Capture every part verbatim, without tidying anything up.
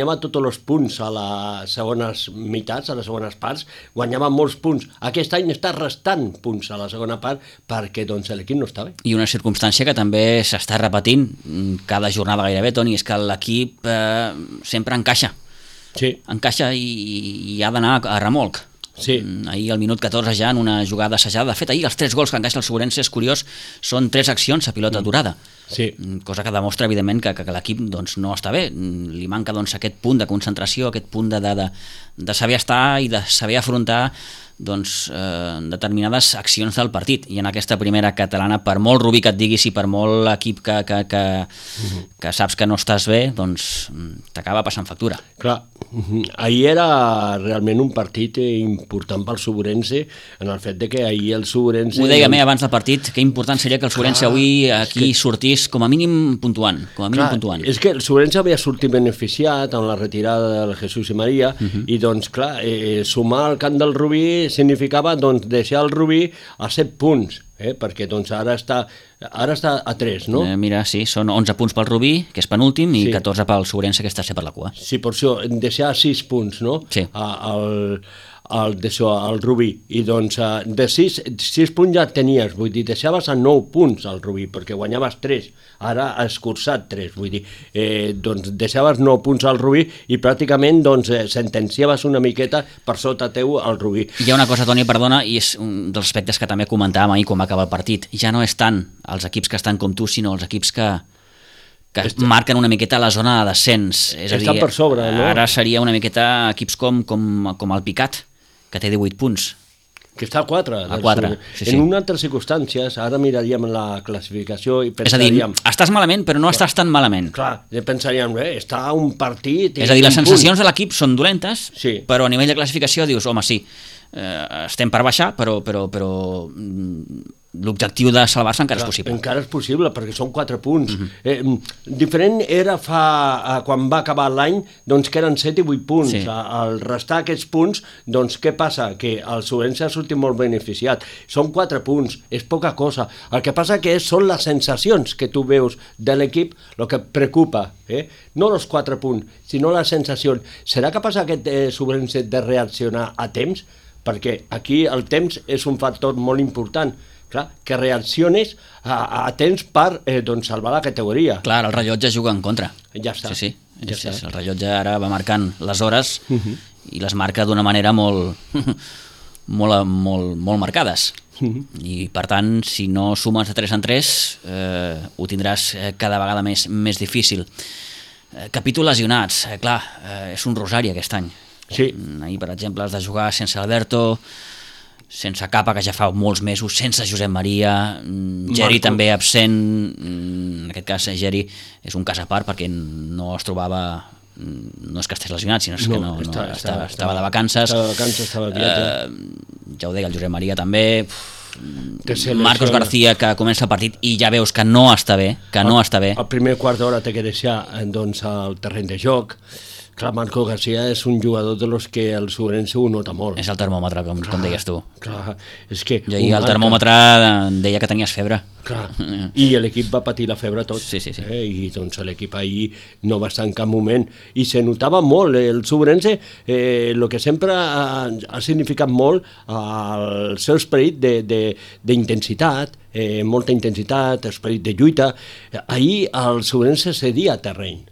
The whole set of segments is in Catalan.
guanyava tots els punts a les segones meitats, a les segones parts, guanyava molts punts. Aquest any està restant punts a la segona part perquè doncs, l'equip no està bé. I una circumstància que també s'està repetint cada jornada gairebé, Toni, és que l'equip eh, sempre encaixa. Sí. Encaixa i, i ha d'anar a remolc. Sí. Ahir al minut catorze ja en una jugada assajada. De fet, ahir els tres gols que encaixa el Sobrense, és curiós, són tres accions a pilota aturada. Sí. Cosa que demostra, evidentment, que, que, que l'equip doncs, no està bé. Li manca doncs, aquest punt de concentració, aquest punt de, de, de, de saber estar i de saber afrontar doncs, eh, determinades accions del partit. I en aquesta primera catalana, per molt Rubí que et diguis i per molt equip que, que, que, uh-huh. que saps que no estàs bé, doncs t'acaba passant factura. Clar, uh-huh. ahir era realment un partit important pel Sobrense, en el fet de que ahir el Sobrense... Ho deia doncs... abans del partit, que important seria que el Sobrense avui aquí que... sortís com a mínim puntuant. Com a mínim clar, puntuant. És que el Sobrense havia sortit beneficiat amb la retirada del Jesús i Maria, uh-huh. i doncs clar, eh, sumar al camp del Rubí significava doncs, deixar el Rubí a set punts, eh? perquè doncs, ara, està, ara està a tres, no? Eh, mira, sí, són onze punts pel Rubí, que és penúltim, i sí. catorze pel Sobrense, que està ser per la cua. Sí, per això, deixar sis punts, no? Sí. A, al, al, d'això, al Rubí, i doncs de sis, sis punts ja tenies, vull dir, deixaves a nou punts al Rubí, perquè guanyaves tres, ara ha escurçat tres, vull dir, eh, doncs deixaves nou punts al Rubí i pràcticament doncs, eh, sentenciaves una miqueta per sota teu al Rubí. Hi ha una cosa, Toni, perdona, i és un dels aspectes que també comentàvem ahir quan va acabar el partit, ja no és tant els equips que estan com tu, sinó els equips que que Està... marquen una miqueta la zona de descens. És a dir, per sobre, no? Ara seria una miqueta equips com, com, com el Picat, que té divuit punts. Que està a quatre. A quatre, sí, sí. En unes altres circumstàncies, ara miraríem la classificació i pensaríem... És a dir, estàs malament, però no estàs tan malament. Clar, pensaríem, eh, està a un partit... És a dir, les sensacions punt. de l'equip són dolentes, sí. però a nivell de classificació dius, home, sí, eh, estem per baixar, però... però, però l'objectiu de salvar-se encara Clar, és possible. Encara és possible, perquè són quatre punts. Uh-huh. eh, diferent era fa, quan va acabar l'any, doncs que eren set i vuit punts. Sí. Al restar aquests punts, doncs què passa? Que el Sobrense ha sortit molt beneficiat. Són quatre punts, és poca cosa. El que passa que són les sensacions que tu veus de l'equip el que preocupa. Eh? No els quatre punts, sinó les sensacions. Serà capaç aquest eh, Sobrense de reaccionar a temps? Perquè aquí el temps és un factor molt important. Clar, que reacciones a, a temps per eh, doncs, salvar la categoria. Clar, el rellotge juga en contra. Ja està. Sí, sí. Ja sí, està. sí. El rellotge ara va marcant les hores uh-huh. i les marca d'una manera molt, molt, molt, molt marcades. Uh-huh. I per tant, si no sumes de tres en tres, eh, ho tindràs cada vegada més, més difícil. Eh, capítol lesionats, eh, clar, eh, és un rosari aquest any. Sí. Ahir, per exemple, has de jugar sense Alberto, sense Capa, que ja fa molts mesos, sense Josep Maria, Geri Marco. També absent, en aquest cas Geri és un cas a part perquè no es trobava, no és que estigués lesionat, sinó no, que no, no, està, estava, estava, estava de vacances, estava de vacances, estava de eh, ja ho deia, el Josep Maria també, Marcos García, que comença el partit i ja veus que no està bé, que no està bé. El primer quart d'hora té que deixar doncs, el terreny de joc. Clar, Marco García és un jugador de los que el Sobrense ho nota molt. És el termòmetre, com, clar, com deies tu. Clar, és que... I ahir el termòmetre deia que tenies febre. Clar, i l'equip va patir la febre tot. Sí, sí, sí. Eh? I doncs l'equip ahir no va estar en cap moment. I se notava molt. El Sobrense, eh, el que sempre ha, ha significat molt el seu esperit d'intensitat, eh, molta intensitat, esperit de lluita. Ahir el Sobrense cedia terreny.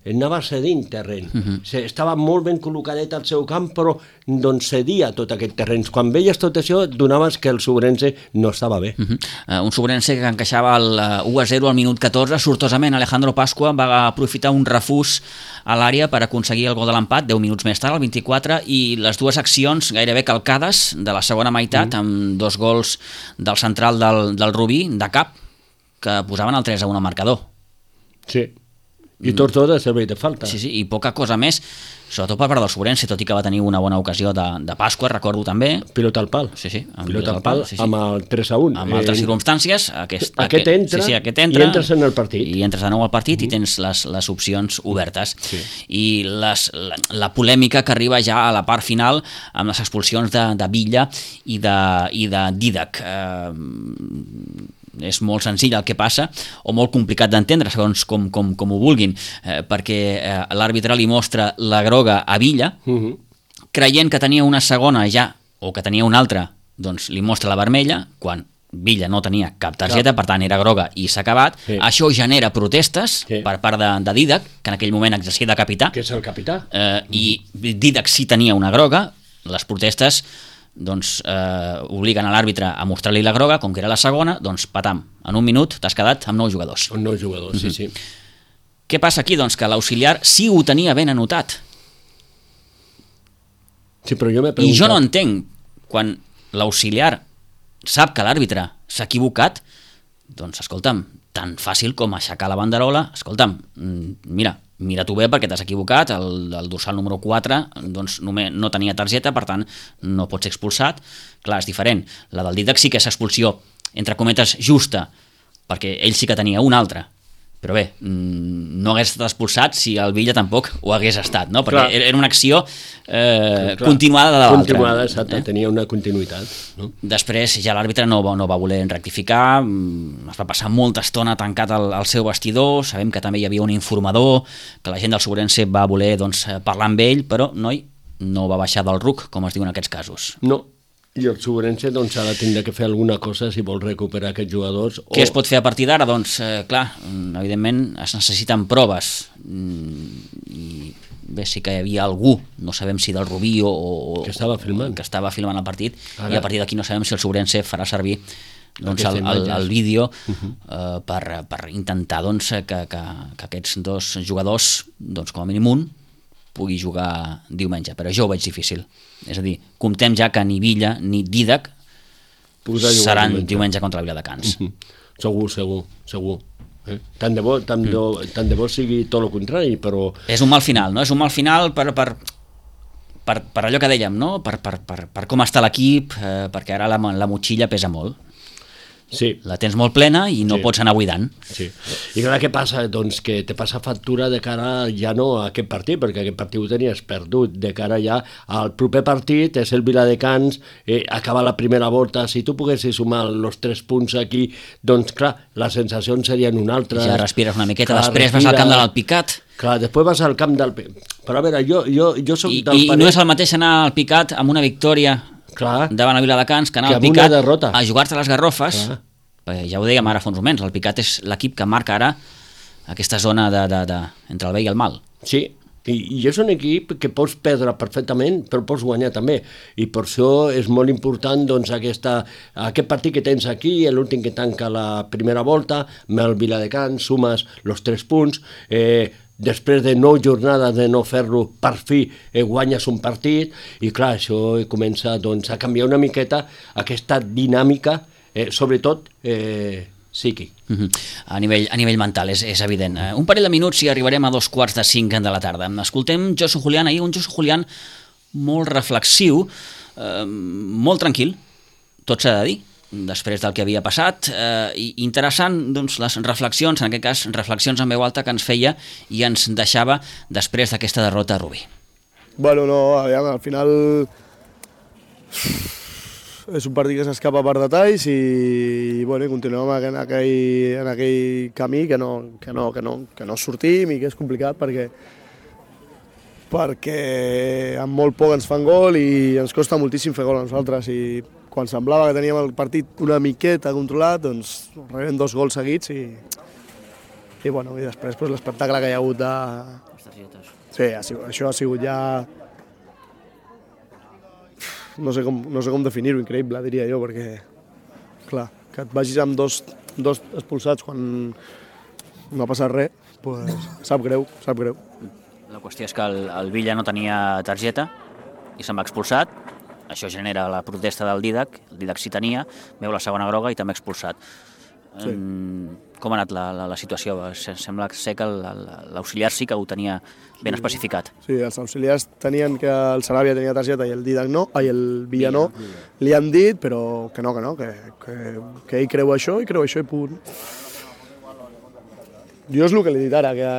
Anava cedint terreny. Uh-huh. Estava molt ben col·locadet al seu camp, però doncs cedia tot aquest terreny. Quan veies tot això, donaves que el Sobrense no estava bé. Uh-huh. uh, un Sobrense que encaixava el uh, u a zero al minut catorze. Sortosament, Alejandro Pascua va aprofitar un refús a l'àrea per aconseguir el gol de l'empat, deu minuts més tard, al vint-i-quatre, i les dues accions gairebé calcades de la segona meitat, uh-huh. amb dos gols del central del, del Rubí, de cap, que posaven el tres a un al marcador. Sí. I Tortó de servei de falta. Sí, sí, i poca cosa més, sobretot per part del Sobrense, tot i que va tenir una bona ocasió de, de Pasqua, recordo també. Pilota al pal. Sí, sí. Pilota al pal, sí, sí. Amb el tres a un. Amb eh, altres circumstàncies. Aquest, aquest, aquest entra, sí, sí, aquest entra i entres en el partit. I entres de nou al partit uh-huh. i tens les, les opcions obertes. Sí. I les, la, la polèmica que arriba ja a la part final amb les expulsions de, de Villa i de, i de Didac. Eh, és molt senzill el que passa, o molt complicat d'entendre, segons com, com, com ho vulguin, eh, perquè eh, l'àrbitre li mostra la groga a Villa, uh-huh. creient que tenia una segona ja, o que tenia una altra, doncs li mostra la vermella, quan Villa no tenia cap targeta, cap. Per tant era groga i s'ha acabat. Sí. Això genera protestes sí. per part de, de Dídac, que en aquell moment exercia de capità. Que és el capità. Eh, uh-huh. I Dídac sí tenia una groga, les protestes doncs eh, obliguen a l'àrbitre a mostrar-li la groga, com que era la segona, doncs patam, en un minut t'has quedat amb nou jugadors. Amb nou jugadors, mm-hmm. sí, sí. Què passa aquí? Doncs que l'auxiliar sí ho tenia ben anotat. Sí, però jo m'he preguntat... I jo no entenc, quan l'auxiliar sap que l'àrbitre s'ha equivocat, doncs escolta'm, tan fàcil com aixecar la banderola, escolta'm, mira, mira tu bé perquè t'has equivocat, el, el dorsal número quatre doncs només no tenia targeta, per tant no pot ser expulsat. Clar, és diferent, la del Dídac sí que és expulsió entre cometes justa, perquè ell sí que tenia una altra, però bé, no hagués estat expulsat si el Villa tampoc ho hagués estat, no? Perquè clar. Era una acció eh, clar, continuada de l'altra. Continuada, exacte, eh? Tenia una continuïtat. No? Després ja l'àrbitre no, no va voler rectificar, es va passar molta estona tancat al, al seu vestidor, sabem que també hi havia un informador, que la gent del Sobrense va voler doncs, parlar amb ell, però noi, no va baixar del ruc, com es diu en aquests casos. No. I el Sobrense doncs, ha de tindre que fer alguna cosa si vol recuperar aquests jugadors. O... Què es pot fer a partir d'ara? Doncs, eh, clar, evidentment es necessiten proves. I bé, sí que hi havia algú, no sabem si del Rubí o... Que estava filmant. Que estava filmant el partit, ara. I a partir d'aquí no sabem si el Sobrense farà servir doncs, el, el, el vídeo uh-huh. eh, per, per intentar doncs, que, que, que aquests dos jugadors, doncs, com a mínim un, pugui jugar diumenge, però jo ho veig difícil. És a dir, comptem ja que ni Villa ni Dídac seran diumenge. diumenge contra el Viladecans. Uh-huh. Segur, segur, segur. Eh? Tant, de bo, tant, mm. de, tant de bo sigui tot el contrari, però... És un mal final, no? És un mal final per, per, per, per allò que dèiem, no? Per, per, per, per com està l'equip, eh, perquè ara la, la motxilla pesa molt. Sí. La tens molt plena i no sí. pots anar buidant. Sí. I clar, què passa? Doncs que te passa factura de cara ja no a aquest partit, perquè aquest partit ho tenies perdut, de cara ja al proper partit, és el Viladecans, eh, acaba la primera volta, si tu poguessis sumar els tres punts aquí, doncs clar, les sensacions serien una altra. Ja respires una miqueta, clar, després respira, vas al camp de l'Alpicat. Clar, després vas al camp del... Però a veure, jo, jo, jo soc I, del I parer... no és el mateix anar al Picat amb una victòria... Clar, davant el Viladecans, que anar al Picat a jugar-te les garrofes. Clar. Perquè ja ho dèiem ara fa uns moments, el Picat és l'equip que marca ara aquesta zona de, de, de, entre el bé i el mal. Sí, i, i és un equip que pots perdre perfectament, però pots guanyar també, i per això és molt important doncs, aquesta, aquest partit que tens aquí, l'últim que tanca la primera volta, amb el Viladecans, sumes els tres punts, eh, després de nou jornades de no fer-lo, per fi eh, guanyes un partit, i clar, això comença doncs, a canviar una miqueta aquesta dinàmica, eh, sobretot eh, psíquic. Uh-huh. A nivell, a nivell mental, és, és evident. Uh, un parell de minuts i arribarem a dos quarts de cinc de la tarda. Escoltem Josu Julián, ahir un Josu Julián molt reflexiu, eh, molt tranquil, tot s'ha de dir, després del que havia passat, eh, i interessant doncs, les reflexions, en aquest cas reflexions en veu alta que ens feia i ens deixava després d'aquesta derrota a Rubí. Bueno, no, aviam, al final és un partit que s'escapa per detalls i, i bueno, continuem en aquell, en aquell camí que no, que, no, que, no, que no sortim i que és complicat perquè perquè amb molt poc ens fan gol i ens costa moltíssim fer gol a nosaltres i quan semblava que teníem el partit una miqueta controlat, doncs rebem dos gols seguits i, i, bueno, i després pues, l'espectacle que hi ha hagut de... Sí, ha sigut, això ha sigut ja... No sé com, no sé com definir-ho, increïble, diria jo, perquè, clar, que et vagis amb dos, dos expulsats quan no ha passat res, pues, sap greu, sap greu. La qüestió és que el, el Villa no tenia targeta i se'n va expulsat. Això genera la protesta del Dídac, el Dídac sí tenia, veu la segona groga i també expulsat. Sí. Com ha anat la, la, la situació? Sembla ser que l'auxiliar sí que ho tenia ben sí. especificat. Sí, els auxiliars tenien que el Saràbia tenia targeta i el Dídac no, ai, el Villa no, li han dit, però que no, que no, que, que, que ell creu això i creu això i punt. Jo és el que li he dit ara, que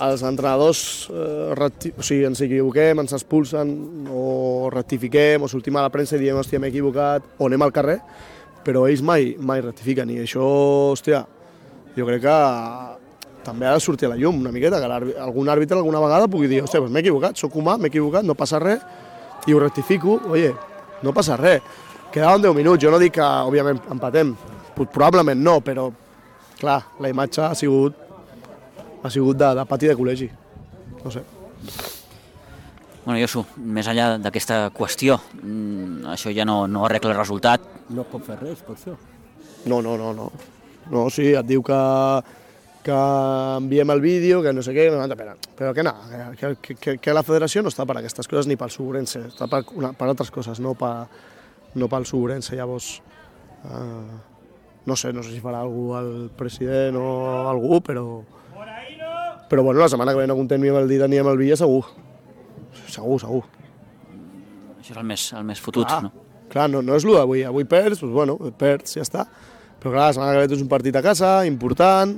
els entrenadors eh, recti... o sigui, ens equivoquem, ens expulsen o rectifiquem o sortim a la premsa i diem hòstia m'he equivocat o anem al carrer, però ells mai, mai rectifiquen, i això, hòstia, jo crec que també ha de sortir a la llum una miqueta, que algun àrbitre alguna vegada pugui dir, hòstia, doncs m'he equivocat, sóc humà, m'he equivocat, no passa res, i ho rectifico, oye, no passa res. Quedaven deu minuts, jo no dic que, òbviament, empatem, probablement no, però, clar, la imatge ha sigut, ha sigut de, de pati de col·legi, no sé. Bueno, Josu, més enllà d'aquesta qüestió, això ja no, no arregla el resultat. No pot fer res, per això. No, no, no, no. No, sí, et diu que, que enviem el vídeo, que no sé què, però, però que no, que, que, que la federació no està per aquestes coses ni pel Suburense, està per, una, per altres coses, no, per, no pel Suburense. Llavors, eh, no sé, no sé si farà algú el president o algú, però, però bueno, la setmana que ve no comptem ni amb el Dida ni amb el Villa, segur. Segur, segur. Això és el més, el més fotut, clar, no? Clar, no, no és l'u d'avui. Avui perds, doncs bueno, perds, ja està. Però clar, la setmana que ve tens un partit a casa, important,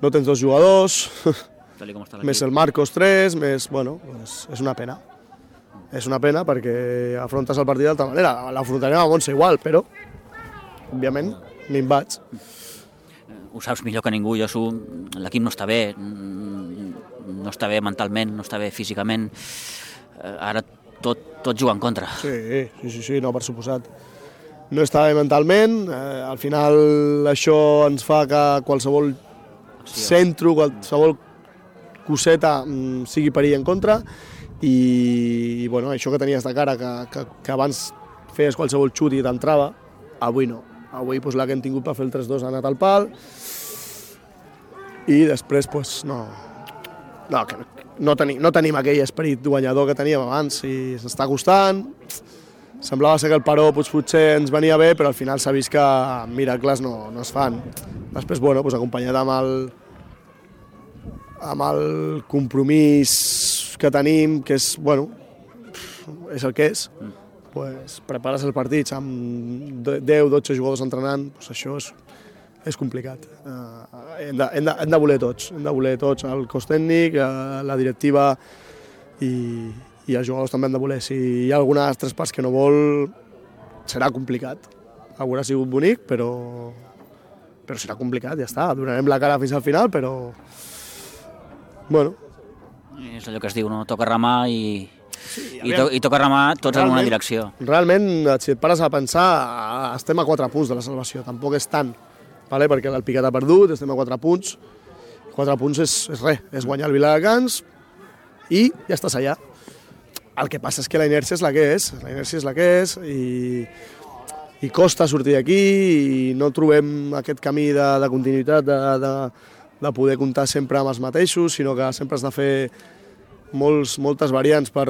no tens dos jugadors, més el Marcos tres, més, bueno, és, és una pena. És una pena perquè afrontes el partit d'altra manera. L'afrontarem a Montse igual, però, òbviament, me'n vaig. Ho saps millor que ningú, Josu, l'equip no està bé, no està bé mentalment, no està bé físicament, ara tot, tot juga en contra. Sí, sí, sí, sí, no, per suposat. No està bé mentalment, eh, al final això ens fa que qualsevol centre, qualsevol coseta mm, sigui perill en contra, i, i bueno, això que tenies de cara, que, que, que abans feies qualsevol xut i t'entrava, avui no. Avui pues, la que hem tingut per fer el tres dos ha anat al pal, i després pues, no, no, que no, tenim, no tenim aquell esperit guanyador que teníem abans, i s'està costant. Semblava ser que el paró pues, potser ens venia bé, però al final s'ha vist que miracles no, no es fan. Després, bueno, pues, acompanyat amb el, amb el compromís que tenim, que és, bueno, és el que és, pues, prepares el partit amb deu dotze jugadors entrenant, pues, això és, és complicat. Uh, hem, de, hem, de, hem de voler tots, hem de voler tots, el cos tècnic, uh, la directiva i, i els jugadors també han de voler. Si hi ha alguna de les tres parts que no vol, serà complicat. Haurà sigut bonic, però, però serà complicat, ja està. Donarem la cara fins al final, però... Bueno. És allò que es diu, no? Toca remar i... Sí, I, to, I toca remar tots en una direcció. Realment, si et pares a pensar, estem a quatre punts de la salvació, tampoc és tant, vale? Perquè l'Alpicat ha perdut, estem a quatre punts, quatre punts és, és res, és guanyar el Viladecans i ja estàs allà. El que passa és que la inèrcia és la que és, la inèrcia és la que és, i, i costa sortir d'aquí, i no trobem aquest camí de, de continuïtat, de, de, de poder comptar sempre amb els mateixos, sinó que sempre has de fer molts, moltes variants per,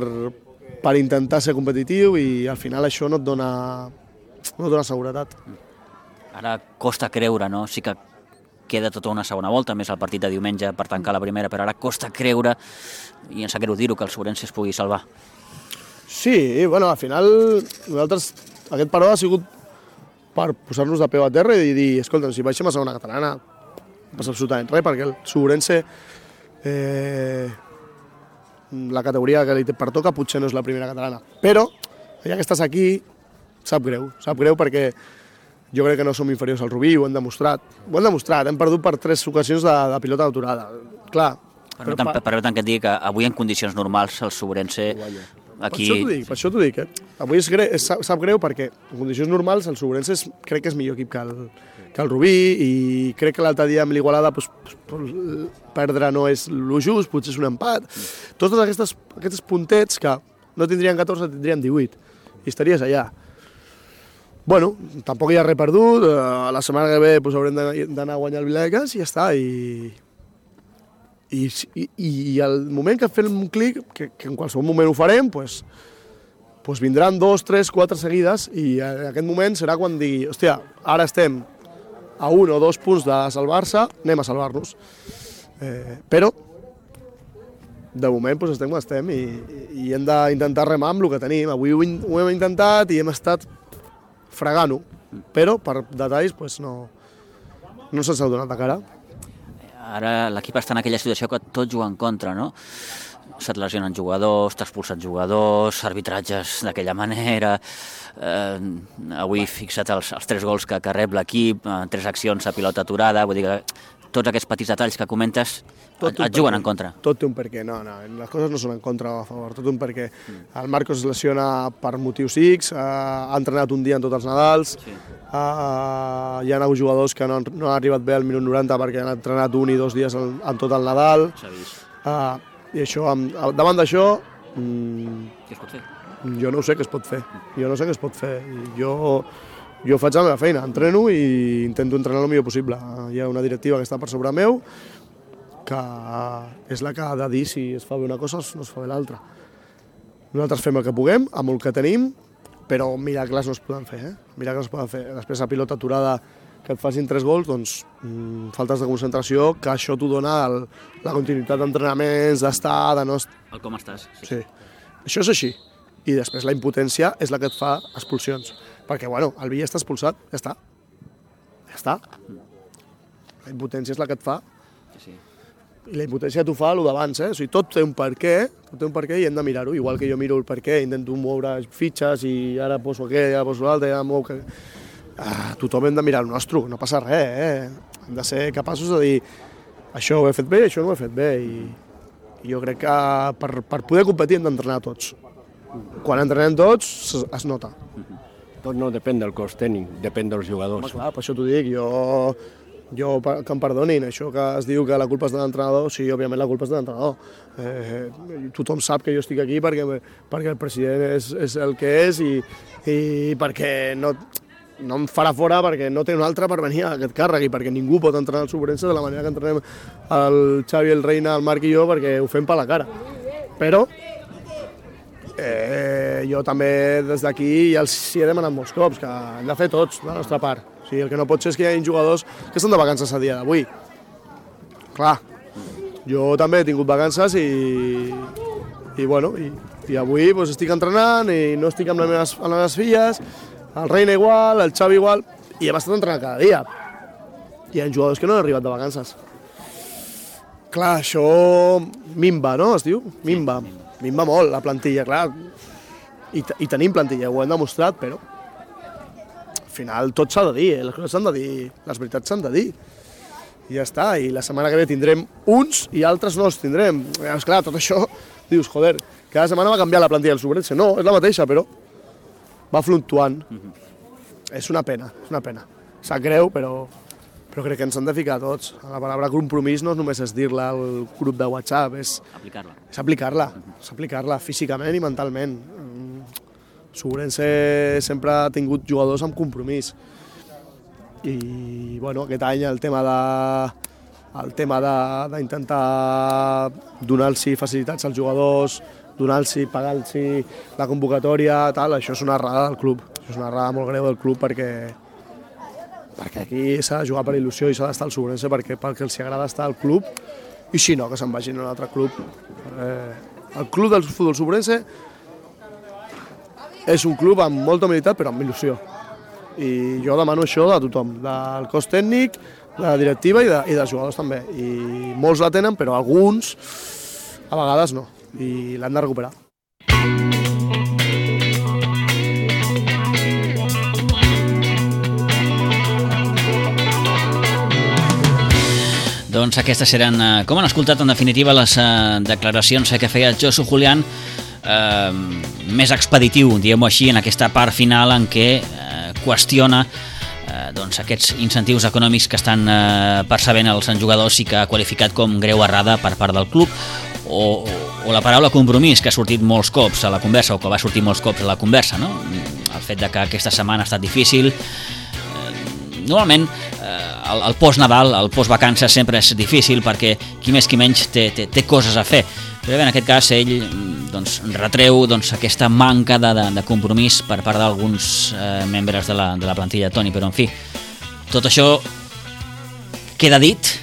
per intentar ser competitiu, i al final això no et dona, no et dona seguretat. Ara costa creure, no? Sí que queda tota una segona volta, més el partit de diumenge per tancar la primera, però ara costa creure, i ens sap greu dir-ho, que el Suburense es pugui salvar. Sí, bueno, al final nosaltres, aquest paró ha sigut per posar-nos de peu a terra i dir, escolta, si baixem a segona catalana no passa absolutament res, perquè el Suburense eh, la categoria que li pertoca potser no és la primera catalana, però ja que estàs aquí sap greu, sap greu perquè jo crec que no som inferiors al Rubí, ho hem demostrat, ho hem demostrat, hem perdut per tres ocasions de, de pilota d'aturada, clar. Permetem per, per que et digui que avui en condicions normals el Suburense aquí... Per això t'ho dic, per això t'ho dic, eh? Avui és greu, és, sap greu perquè en condicions normals el Suburense és, crec que és millor equip que el, que el Rubí, i crec que l'altre dia amb l'Igualada pues, pues, perdre no és lo just, potser és un empat. Tots aquestes, aquests puntets que no tindrien catorze, tindrien divuit, i estaries allà. Bueno, tampoc hi ha res perdut, la setmana que ve pues, haurem d'anar a guanyar el Viladecans i ja està, i... I, i, i al moment que fem un clic, que, que en qualsevol moment ho farem, pues, pues vindran dos, tres, quatre seguides, i en aquest moment serà quan digui, hòstia, ara estem a un o dos punts de salvar-se, anem a salvar-nos. Eh, però, de moment pues, estem com estem, i, i hem d'intentar remar amb el que tenim. Avui ho, ho hem intentat i hem estat fregant-ho, però per detalls pues, no, no se'ns ha donat de cara. Ara l'equip està en aquella situació que tot juga en contra, no? se't lesionen jugadors, t'expulsen jugadors, arbitratges d'aquella manera, eh, avui fixa't els, els tres gols que, que rep l'equip, eh, tres accions a pilota aturada, vull dir que tots aquests petits detalls que comentes et, et juguen en contra. Tot té un perquè, no, no, les coses no són en contra o a favor, tot un perquè. El Marcos es lesiona per motius X, eh, ha entrenat un dia en tots els Nadals, sí. eh, hi ha hagut jugadors que no, no han arribat bé al minut noranta perquè han entrenat un i dos dies en, en tot el Nadal. S'ha vist. Uh, I això, davant d'això, mm, què es pot fer? Jo no sé què es pot fer, jo no sé què es pot fer. Jo, jo faig la meva feina, entreno i intento entrenar el millor possible. Hi ha una directiva que està per sobre meu, que és la que ha de dir si es fa bé una cosa o no es fa bé l'altra. Nosaltres fem el que puguem, amb el que tenim, però miracles no es poden fer, eh? Miracles no es poden fer. Després la pilota aturada que et facin tres gols, doncs mmm, faltes de concentració, que això t'ho dona el, la continuïtat d'entrenaments, d'estar, de no... El com estàs. Sí. sí. Això és així. I després la impotència és la que et fa expulsions. Perquè, bueno, el Villa està expulsat, ja està. Ja està. La impotència és la que et fa. Sí, sí. I la impotència t'ho fa el d'abans, eh? O sigui, tot té un per què, tot té un per què i hem de mirar-ho. Igual que jo miro el per què, intento moure fitxes i ara poso aquest, ara poso l'altre, ara mou... Que... Ah, tothom hem de mirar el nostre, no passa res, eh? Hem de ser capaços de dir això ho he fet bé, això no ho he fet bé. I, i jo crec que per, per poder competir hem d'entrenar tots. Quan entrenem tots es, es nota. Tot no depèn del cos tècnic, depèn dels jugadors. Home, clar, per això t'ho dic, jo, jo que em perdonin, això que es diu que la culpa és de l'entrenador, sí, òbviament la culpa és de l'entrenador. Eh, tothom sap que jo estic aquí perquè, perquè el president és, és el que és i, i perquè no... no em farà fora perquè no té un altre per venir a aquest càrrec i perquè ningú pot entrenar al Sobrense de la manera que entrenem el Xavi, el Reina, el Marc i jo perquè ho fem per la cara. Però eh, jo també des d'aquí ja els hi he demanat molts cops que hem de fer tots de la nostra part. O sigui, el que no pot ser és que hi hagi jugadors que estan de vacances a dia d'avui. Clar, jo també he tingut vacances i, i, bueno, i, i avui doncs, estic entrenant i no estic amb les meves, amb les meves filles. El Reina igual, el Xavi igual, i hem estat entrenant cada dia. Hi ha jugadors que no han arribat de vacances. Clar, això minva, no? Es diu? Minva. Minva molt, la plantilla, clar. I, I tenim plantilla, ho hem demostrat, però al final tot s'ha de dir, eh? Les coses s'han de dir, les veritats s'han de dir. I ja està, i la setmana que ve tindrem uns i altres no els tindrem. És clar, tot això, dius, joder, cada setmana va canviar la plantilla del Sobrense. No, és la mateixa, però va fluctuant. Mm-hmm. És una pena, és una pena. Sap greu, però, però crec que ens han de ficar tots. La paraula compromís no només és dir-la al grup de WhatsApp, és aplicar-la. És aplicar-la, mm-hmm. és aplicar-la físicament i mentalment. Sobrense sempre ha tingut jugadors amb compromís. I, bueno, aquest any el tema de el tema d'intentar donar-los facilitats als jugadors, donar-los, pagar-los la convocatòria, tal, això és una errada del club. Això és una errada molt greu del club perquè, perquè aquí s'ha de jugar per il·lusió i s'ha d'estar al Sobrense perquè, perquè els agrada estar al club i si no, que se'n vagin a un altre club. Eh, el club del futbol Sobrense és un club amb molta humilitat però amb il·lusió. I jo demano això de tothom, del cos tècnic, de la directiva i, de, i dels jugadors també. I molts la tenen, però alguns a vegades no. I l'han de recuperar. Doncs aquestes eren, com han escoltat en definitiva, les uh, declaracions que feia Josu Julián, uh, més expeditiu, diguem-ho així, en aquesta part final en què uh, qüestiona uh, doncs, aquests incentius econòmics que estan uh, percebent els jugadors i que ha qualificat com greu errada per part del club. O, o la paraula compromís, que ha sortit molts cops a la conversa, o que va sortir molts cops a la conversa, no? El fet de que aquesta setmana ha estat difícil. Normalment, eh, el, el post-Nadal, el post-vacances sempre és difícil perquè qui més qui menys té, té, té coses a fer. Però bé, en aquest cas ell doncs, retreu doncs, aquesta manca de, de, de compromís per part d'alguns eh, membres de la, de la plantilla de Toni. Però, en fi, tot això queda dit,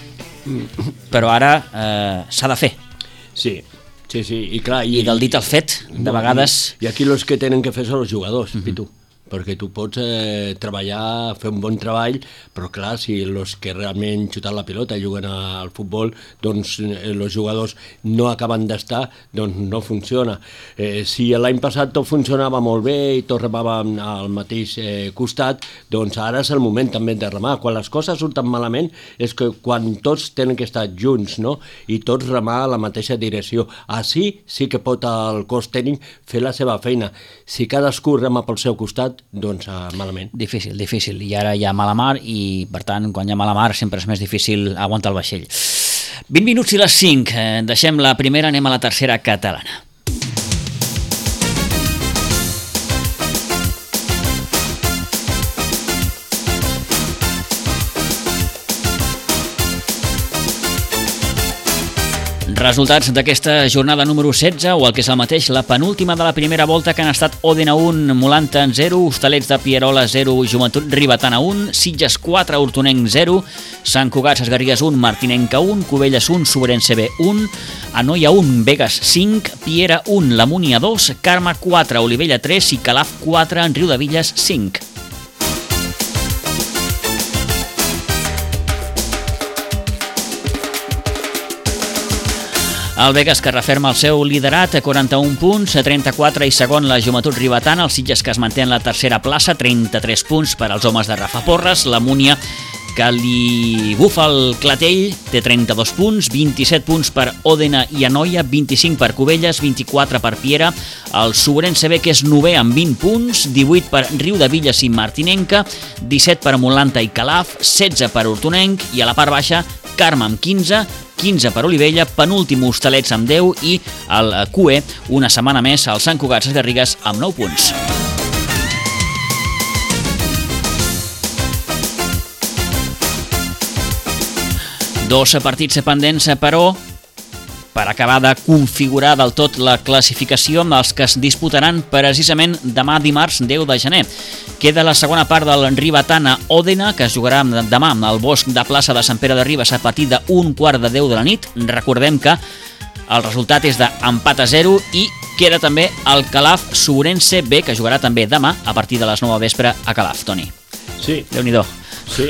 però ara eh, s'ha de fer. Sí, sí, sí, i clar... I, I del dit al fet, de no, vegades... I, I aquí els que tenen que fer són els jugadors, uh-huh. Pitu. perquè tu pots eh, treballar, fer un bon treball, però clar, si els que realment xuten la pilota i juguen al futbol, doncs els jugadors no acaben d'estar, doncs no funciona. Eh, si l'any passat tot funcionava molt bé i tot remàvem al mateix eh, costat, doncs ara és el moment també de remar. Quan les coses surten malament és que quan tots tenen que estar junts, no? I tots remar a la mateixa direcció. Així sí que pot el cos tècnic fer la seva feina. Si cadascú rema pel seu costat, doncs uh, malament. Difícil, difícil. I ara hi ha mala mar i, per tant, quan hi ha mala mar sempre és més difícil aguantar el vaixell. vint minuts i les cinc. Eh, deixem la primera, anem a la tercera catalana. Resultats d'aquesta jornada número setze, o el que és el mateix, la penúltima de la primera volta, que han estat Òdena un, Molanta zero, Hostalets de Pierola zero, Joventut Ribetana un, Sitges quatre, Hortonenc zero, Sant Cugat Sesgarrigues un, Martinenca un, Cubelles un, Sobrense B un, Anoia un, Begues cinc, Piera un, La Múnia dos, Carme quatre, Olivella tres i Calaf quatre, en Riudevilles cinc. El Begues, que referma el seu liderat a quaranta-un punts, a trenta-quatre, i segon la Joventut Ribetana. El Sitges, que es manté en la tercera plaça, trenta-tres punts per als homes de Rafa Porres. La Múnia, que li bufa el clatell, té trenta-dos punts, vint-i-set punts per Òdena i Anoia, vint-i-cinc per Cubelles, vint-i-quatre per Piera. El Sobrense B, que és novè amb vint punts, divuit per Riudevilles i Martinenca, disset per Molanta i Calaf, setze per Hortonenc, i a la part baixa Carme amb quinze, quinze per Olivella, penúltim Hostalets amb deu i el Q E, una setmana més, el Sant Cugat Sesgarrigues amb nou punts. Dos partits pendents, però, per acabar de configurar del tot la classificació, amb els que es disputaran precisament demà dimarts deu de gener. Queda la segona part del Ribetana Òdena, que es jugarà demà al Bosc de Plaça de Sant Pere de Ribes a partir d'un quart de deu de la nit. Recordem que el resultat és d'empat a zero i queda també el Calaf Sobrense B, que jugarà també demà a partir de les nou del vespre a Calaf, Toni. Sí. Déu-n'hi-do. Sí,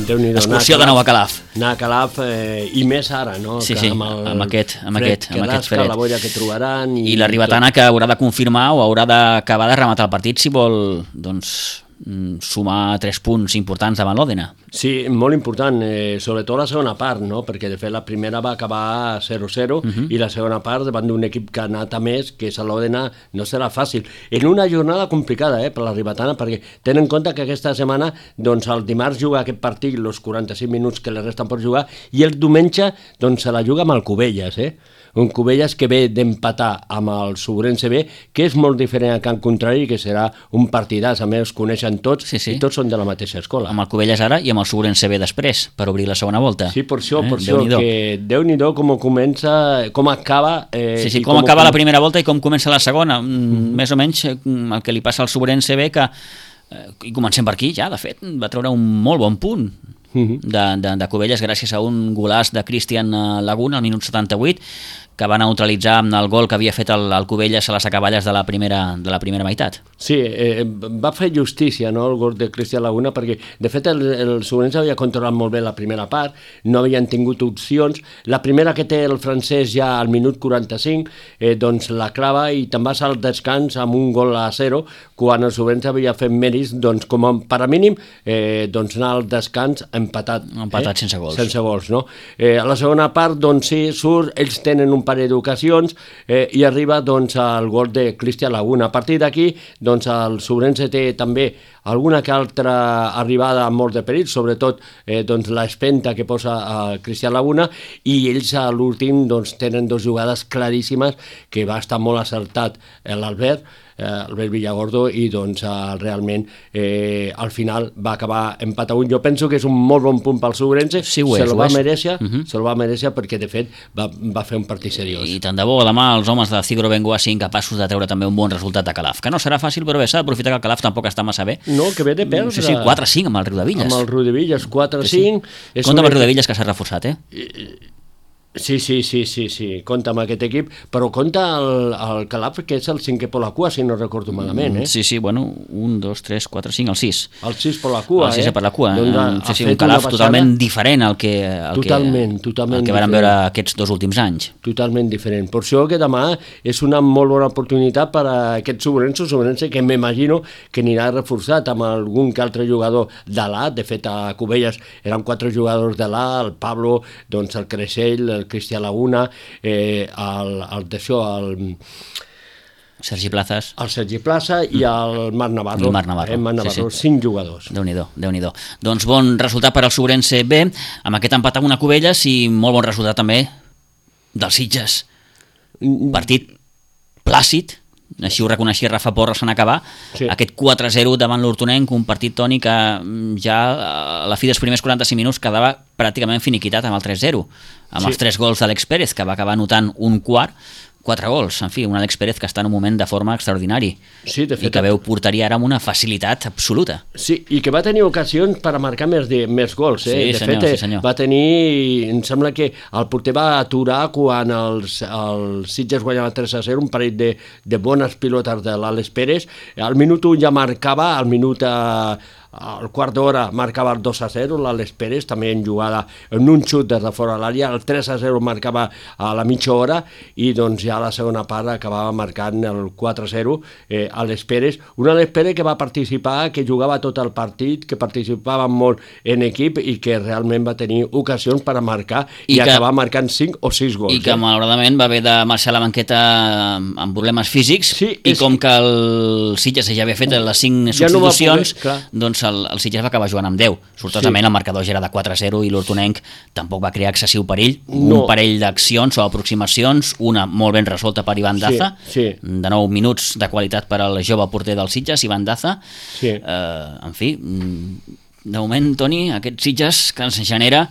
Déu-n'hi-do. Excursió de nou a Calaf. Anar a Calaf, eh, i més ara, no? Sí, que sí, amb, el amb aquest, amb fred aquest, amb aquest fred. La boira que trobaran... I, I la Ribetana, que haurà de confirmar o haurà d'acabar de rematar el partit si vol, doncs, sumar tres punts importants davant l'Òdena. Sí, molt important, eh, sobretot la segona part, no? Perquè de fet la primera va acabar zero zero uh-huh. i la segona part davant d'un equip que ha anat a més, que és l'Òdena, no serà fàcil. En una jornada complicada eh, per la Ribetana, perquè tenen en compte que aquesta setmana, doncs el dimarts juga aquest partit, els quaranta-cinc minuts que li resten per jugar, i el diumenge doncs, se la juga amb el Cubelles, eh? Un Cubelles que ve d'empatar amb el Sobrense B, que és molt diferent a Can Contrari, que serà un partidàs, a més coneixen tots, sí, sí. i tots són de la mateixa escola. Amb el Cubelles ara i amb el Sobrense B després, per obrir la segona volta. Sí, per això, eh? per això, que Déu-n'hi-do com comença, com acaba... Eh, sí, sí, com, com acaba com... la primera volta i com comença la segona, mm-hmm. més o menys el que li passa al Sobrense B, que, eh, i comencem per aquí ja, de fet, va treure un molt bon punt mm-hmm. de, de, de Cubelles gràcies a un golaç de Cristian Laguna al minut setanta-vuit, que va neutralitzar amb el gol que havia fet el, el Cubelles a les acaballes de la primera, de la primera meitat. Sí, eh, va fer justícia, no?, el gol de Cristian Laguna, perquè de fet el, el Sobrense havia controlat molt bé la primera part, no havien tingut opcions. La primera que té el francès ja al minut quaranta-cinc, eh, doncs la clava i te'n vas al descans amb un gol a zero, quan el Sobrense havia fet mèrits, doncs com a per a mínim, eh, doncs anar al descans empatat. Empatat eh? sense gols. Sense gols, no? Eh, a la segona part, doncs sí, surt, ells tenen un parell d'ocasions eh, i arriba doncs al gol de Cristian Laguna. A partir d'aquí, doncs el Sobrense té també alguna que altra arribada amb molt de perill, sobretot eh, doncs l'espenta que posa a Cristian Laguna, i ells a l'últim doncs tenen dues jugades claríssimes que va estar molt acertat l'Albert, eh, Albert Villagordo, i doncs eh, realment eh, al final va acabar empat a un. Jo penso que és un molt bon punt pel Sobrense, sí, se el va mereixer, uh-huh. se el va mereixer perquè de fet va, va fer un partit seriós. I tant de bo demà els homes de Cigro Bengoa siguin capaços de treure també un bon resultat a Calaf, que no serà fàcil, però bé, s'ha d'aprofitar que el Calaf tampoc està massa bé. No, que ve de perdre. Sí, sí, quatre a cinc amb el Riudevilles. Amb el Riudevilles, quatre a cinc. Sí, sí. Compte amb el Riudevilles, que s'ha reforçat, eh? Sí, sí, sí, sí, sí, compta amb aquest equip, però compta el, el Calaf, que és el cinquè per la cua, si no recordo malament, eh? Sí, sí, bueno, un, dos, tres, quatre, cinc, el sis. El sis per la cua, el sis eh? per la cua, doncs ha, sí, ha sí, un Calaf totalment diferent al que, al totalment, que, totalment el que vam diferent. veure aquests dos últims anys. Totalment diferent. Per això que demà és una molt bona oportunitat per a aquest Sobrense, Sobrense que m'imagino que anirà reforçat amb algun que altre jugador de l'A, de fet a Cubelles eren quatre jugadors de l'A, el Pablo, doncs el Creixell, el Cristià Laguna, eh, el, el d'això, el... Sergi Plazas. El Sergi Plaza i el Marc Navarro. El Marc Navarro, eh, Marc Navarro, sí, sí. cinc jugadors. Déu-n'hi-do, Déu-n'hi-do. Doncs bon resultat per al Sobrense B, amb aquest empat amb una Cubelles i molt bon resultat també dels Sitges. Partit plàcid, així ho reconeixia Rafa Porres en acabar, sí. Aquest quatre a zero davant l'Hortonenc, un partit, Toni, que ja a la fi dels primers quaranta-cinc minuts quedava pràcticament finiquitat amb el tres zero, amb sí. Els tres gols d'Àlex Pérez, que va acabar anotant un quart, quatre gols, en fi, un Àlex Pérez que està en un moment de forma extraordinari, sí, de fet, i que veu portaria ara amb una facilitat absoluta. Sí, i que va tenir ocasions per a marcar més, de, més gols, eh? Sí, de senyor, fet, sí, senyor. Va tenir, em sembla que el porter va aturar quan els, els Sitges guanyaven tres a zero, un parell de, de bones pilotes de l'Àlex Pérez, al minut un ja marcava, al minut a, al quart d'hora marcava el dos a zero, l'Àlex Pérez, també en jugada, en un xut des de fora de l'àrea, el tres a zero marcava a la mitja hora, i doncs ja a la segona part acabava marcant el quatre a zero, eh, Àlex Pérez, un Àlex Pérez que va participar, que jugava tot el partit, que participava molt en equip i que realment va tenir ocasions per a marcar i, i que, acabar marcant cinc o sis gols. I que eh? malauradament va haver de marxar a la banqueta amb problemes físics, sí, i com que el Sitges ja havia fet les cinc ja substitucions, no poder, doncs el, el Sitges va acabar jugant amb deu. Sortosament sí. El marcador ja era de quatre a zero i l'Hortonenc tampoc va crear excessiu perill. No. Un parell d'accions o aproximacions, una molt ben resolta per Ivan Daza, sí, sí. De nou minuts de qualitat per al jove porter del Sitges, Ivan Daza. Sí. Eh, en fi, de moment, Toni, aquest Sitges que ens genera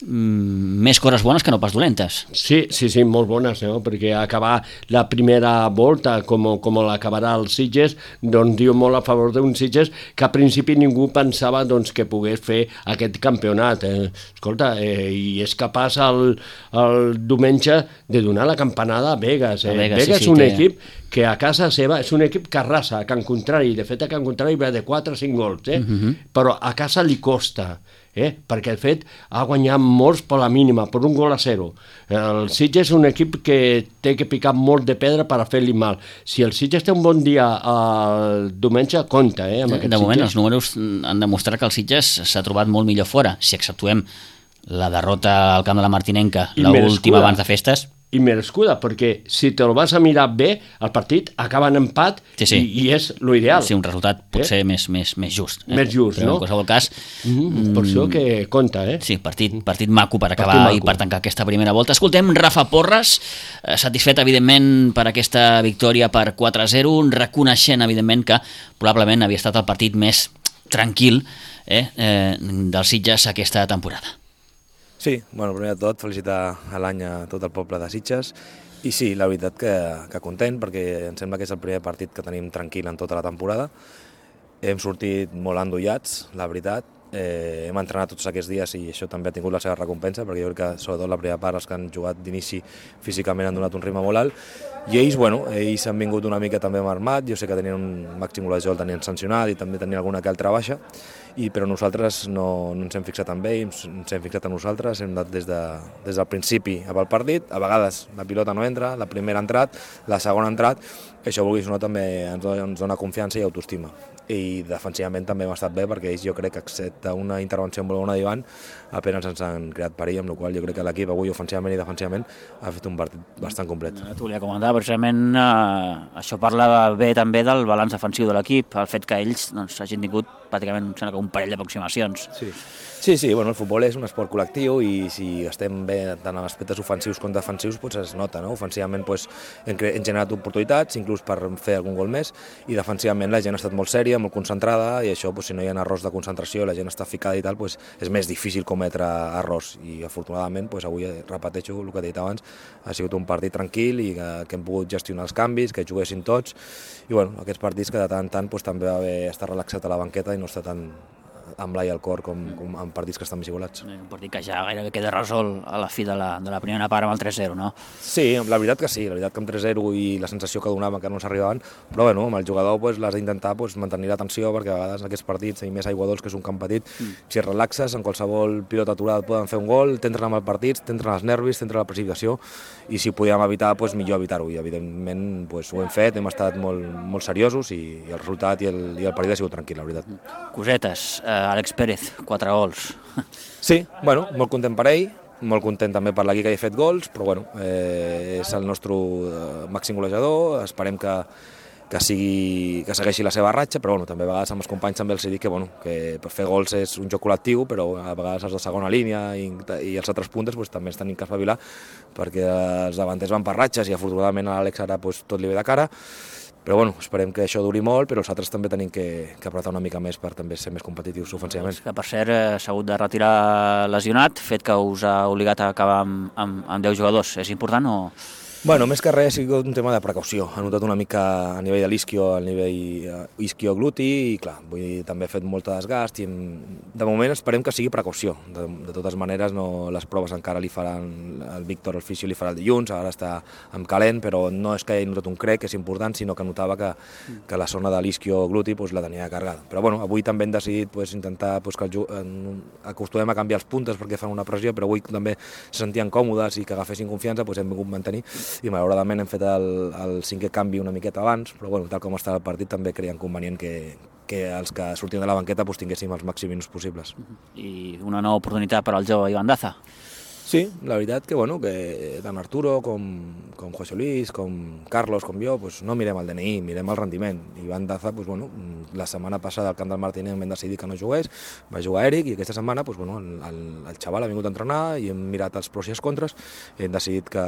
més coses bones que no pas dolentes. Sí, sí, sí, molt bones, no? Perquè acabar la primera volta com, com l'acabarà el Sitges, doncs diu molt a favor d'un Sitges que a principi ningú pensava doncs, que pogués fer aquest campionat. Eh? Escolta, eh, i és capaç el, el diumenge de donar la campanada a Vegas. Eh? A Vegas, Vegas sí, és un sí, equip que a casa seva és un equip que arrasa, a Can Contrari, de fet a Can Contrari va de quatre a cinc gols, eh? Uh-huh. Però a casa li costa. Eh? Perquè el fet ha guanyat molts per la mínima, per un gol a zero. El Sitges és un equip que té que picar molt de pedra per a fer-li mal. Si el Sitges té un bon dia el diumenge, compta, eh? Amb de, de moment els números han demostrat que el Sitges s'ha trobat molt millor fora, si exceptuem la derrota al camp de la Martinenca, l'última abans de festes. I merescuda, perquè si te'l vas a mirar bé, el partit acaba en empat, sí, sí. I, i és l'ideal. Sí, un resultat potser eh? més, més, més just. Eh? Més just, però no? En qualsevol cas... Mm, per això que compta, eh? Sí, partit, partit maco per acabar maco. I per tancar aquesta primera volta. Escoltem Rafa Porres, eh, satisfet, evidentment, per aquesta victòria per quatre a zero, reconeixent, evidentment, que probablement havia estat el partit més tranquil eh, eh, dels Sitges aquesta temporada. Sí, bueno, primer de tot, felicitar a l'any a tot el poble de Sitges i sí, la veritat que, que content perquè em sembla que és el primer partit que tenim tranquil en tota la temporada. Hem sortit molt endollats, la veritat, eh, hem entrenat tots aquests dies i això també ha tingut la seva recompensa perquè jo crec que sobretot la primera part els que han jugat d'inici físicament han donat un ritme molt alt i ells, bueno, ells han vingut una mica també armat, jo sé que tenien un màxim golejador, el tenien sancionat i també tenien alguna que altra baixa, i, però nosaltres no, no ens hem fixat en ells, ens hem fixat en nosaltres, hem anat des, de, des del principi amb el partit, a vegades la pilota no entra, la primera ha entrat, la segona ha entrat, això vulguis o no també ens dona, ens dona confiança i autoestima. I defensivament també hem estat bé perquè ells jo crec que excepte una intervenció molt bona d'Ivan apenas ens han creat perill, amb la qual jo crec que l'equip avui ofensivament i defensivament ha fet un partit bastant complet. T'ho volia comentar, precisament eh, això parla bé també del balanç defensiu de l'equip, el fet que ells doncs, hagin tingut pràcticament un parell d'aproximacions. Sí. Sí, sí, bueno, el futbol és un esport col·lectiu i si estem bé tant en aspectes ofensius com defensius doncs es nota, no? Ofensivament doncs, hem, hem generat oportunitats, inclús per fer algun gol més, i defensivament la gent ha estat molt sèria, molt concentrada, i això, doncs, si no hi ha errors de concentració, la gent està ficada i tal, doncs, és més difícil cometre errors, i afortunadament doncs, avui, repeteixo el que he dit abans, ha sigut un partit tranquil i que, que hem pogut gestionar els canvis, que juguessin tots, i bueno, aquests partits que de tant en tant doncs, també va haver estar relaxat a la banqueta i no estar tan amb l'ai al cor com, com en partits que estan més igualats. Un partit que ja gairebé queda resolt a la fi de la, de la primera part amb el tres zero, no? Sí, la veritat que sí, la veritat que amb tres zero i la sensació que donava que no s'arribaven, però bueno, amb el jugador pues, l'has d'intentar pues, mantenir l'atenció, perquè a vegades en aquests partits, i més aigua dolç, que és un camp petit, mm. si et relaxes, en qualsevol pilota aturada et poden fer un gol, t'entren amb el partit, t'entren els nervis, t'entra la precipitació, i si podíem evitar, pues, millor evitar-ho, i evidentment pues, ho hem fet, hem estat molt, molt seriosos, i, i el resultat i el, i el partit ha sigut tranquil, la veritat. Cosetes, eh, Àlex Pérez, quatre gols. Sí, bueno, molt content per ell, molt content també per l'equip que ha fet gols, però bueno, eh, és el nostre màxim golejador, esperem que, que, sigui, que segueixi la seva ratxa, però bueno, també a vegades amb els companys també els dic que, bueno, que per fer gols és un joc col·lectiu, però a vegades els de segona línia i, i els altres puntes pues, també es tenim que espavilar, perquè els davanters van per ratxes i afortunadament a l'Àlex ara pues, tot li ve de cara. Però bueno, esperem que això duri molt, però els altres també tenim que, que apretar una mica més per també ser més competitius ofensivament. Que per cert s'ha hagut de retirar lesionat, fet que us ha obligat a acabar amb, amb, amb deu jugadors. És important o...? Bueno, més que res ha sigut un tema de precaució. Ha notat una mica a nivell de l'isquio, a nivell isquio-gluti, i clar, vull dir, també ha fet molt desgast i de moment esperem que sigui precaució. De, de totes maneres, no, les proves encara li faran, el Víctor, el fisio, li farà el dilluns, ara està amb calent, però no és que hagi notat un crec, que és important, sinó que notava que, que la zona de l'isquio-gluti pues, la tenia carregada. Però bueno, avui també hem decidit pues, intentar pues, que el, acostumem a canviar els puntes perquè fan una pressió, però avui també se sentien còmodes i que agafessin confiança, pues, hem vingut mantenir. I malauradament hem fet el, el cinquè canvi una miqueta abans, però bueno, tal com està el partit també creiem convenient que, que els que sortim de la banqueta pues, tinguéssim els màxims minuts possibles. I una nova oportunitat per al jove Ivan Daza. Sí, la veritat que, bueno, que tant Arturo com, com José Luis, com Carlos, com jo, pues, no mirem el D N I, mirem el rendiment. Ivan Daza, pues, bueno, la setmana passada al camp del Martínez vam decidir que no jugués, va jugar Eric i aquesta setmana pues, bueno, el, el, el xaval ha vingut a entrenar i hem mirat els pros i els contres i hem decidit que,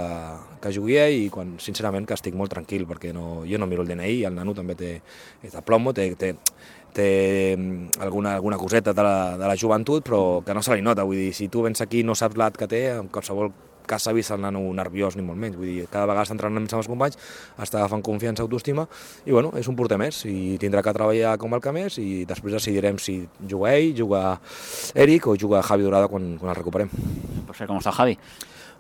que jugui ell i quan, sincerament que estic molt tranquil perquè no, jo no miro el D N I i el nano també té, té plomo, té, té, té alguna, alguna coseta de la, de la joventut, però que no se li nota. Vull dir, si tu vens aquí i no saps l'edat que té, en qualsevol cas s'ha vist el nano nerviós ni molt menys. Vull dir, cada vegada està entrenant amb els companys, està agafant confiança, autoestima, i bueno, és un porter més, i tindrà que treballar com el que més, i després decidirem si juga ell, juga Eric o juga Javi Dorada quan, quan el recuperem. Per cert, com està el Javi?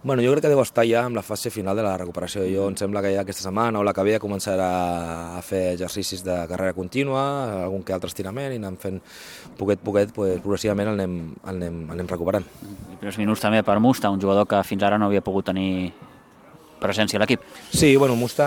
Bueno, jo crec que deu estar ja en la fase final de la recuperació. Jo em sembla que ja aquesta setmana o la que ve començarà a fer exercicis de carrera contínua, algun que altre estirament, i anem fent poquet poquet, pues, progressivament el anem, el anem, el anem recuperant. I primers minuts també per Musta, un jugador que fins ara no havia pogut tenir presència a l'equip. Sí, bueno, Musta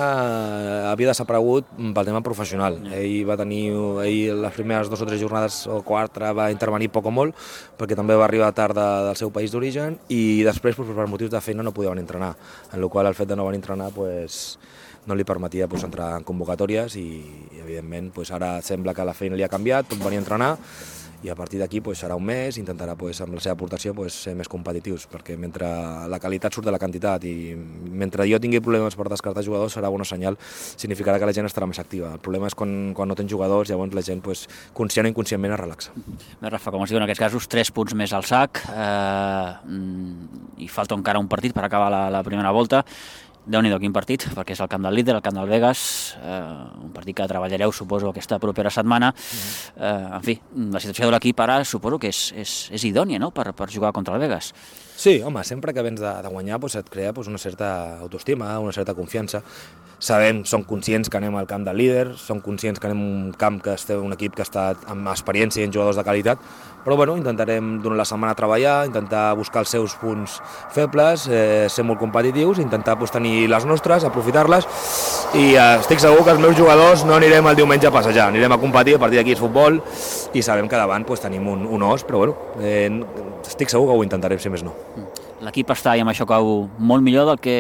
havia desaparegut pel tema professional. Ell va tenir, ell les primeres dues o tres jornades o quatre va intervenir poc o molt, perquè també va arribar tard de, del seu país d'origen, i després pues, per motius de feina no podia venir a entrenar, en la qual el fet de no venir a entrenar pues, no li permetia pues, entrar en convocatòries i, i evidentment pues, ara sembla que la feina li ha canviat, pot venir a entrenar, i a partir d'aquí pues, serà un mes, intentarà pues, amb la seva aportació pues, ser més competitius, perquè mentre la qualitat surt de la quantitat i mentre jo tingui problemes per descartar jugadors serà bona senyal, significarà que la gent estarà més activa. El problema és quan, quan no tens jugadors, llavors la gent pues, conscient o inconscientment es relaxa. Bé, Rafa, com es diu en aquests casos, tres punts més al sac, eh, i falta encara un partit per acabar la, la primera volta. Déu-n'hi-do, quin partit, perquè és el camp del líder, el camp del Vegas, eh, un partit que treballareu, suposo, aquesta propera setmana. Eh, en fi, la situació de l'equip ara suposo que és, és, és idònia, no?, per, per jugar contra el Vegas. Sí, home, sempre que vens de, de guanyar pues, et crea pues, una certa autoestima, una certa confiança. Sabem, som conscients que anem al camp del líder, som conscients que anem a un camp que estem un equip que està amb experiència i en jugadors de qualitat, però bueno, intentarem durant la setmana treballar, intentar buscar els seus punts febles, eh, ser molt competitius, intentar pues, tenir les nostres, aprofitar-les, i eh, estic segur que els meus jugadors no anirem el diumenge a passejar, anirem a competir, a partir d'aquí és futbol, i sabem que davant pues, tenim un, un os, però bueno, eh, estic segur que ho intentarem, si més no. L'equip està, i amb això cau, molt millor del que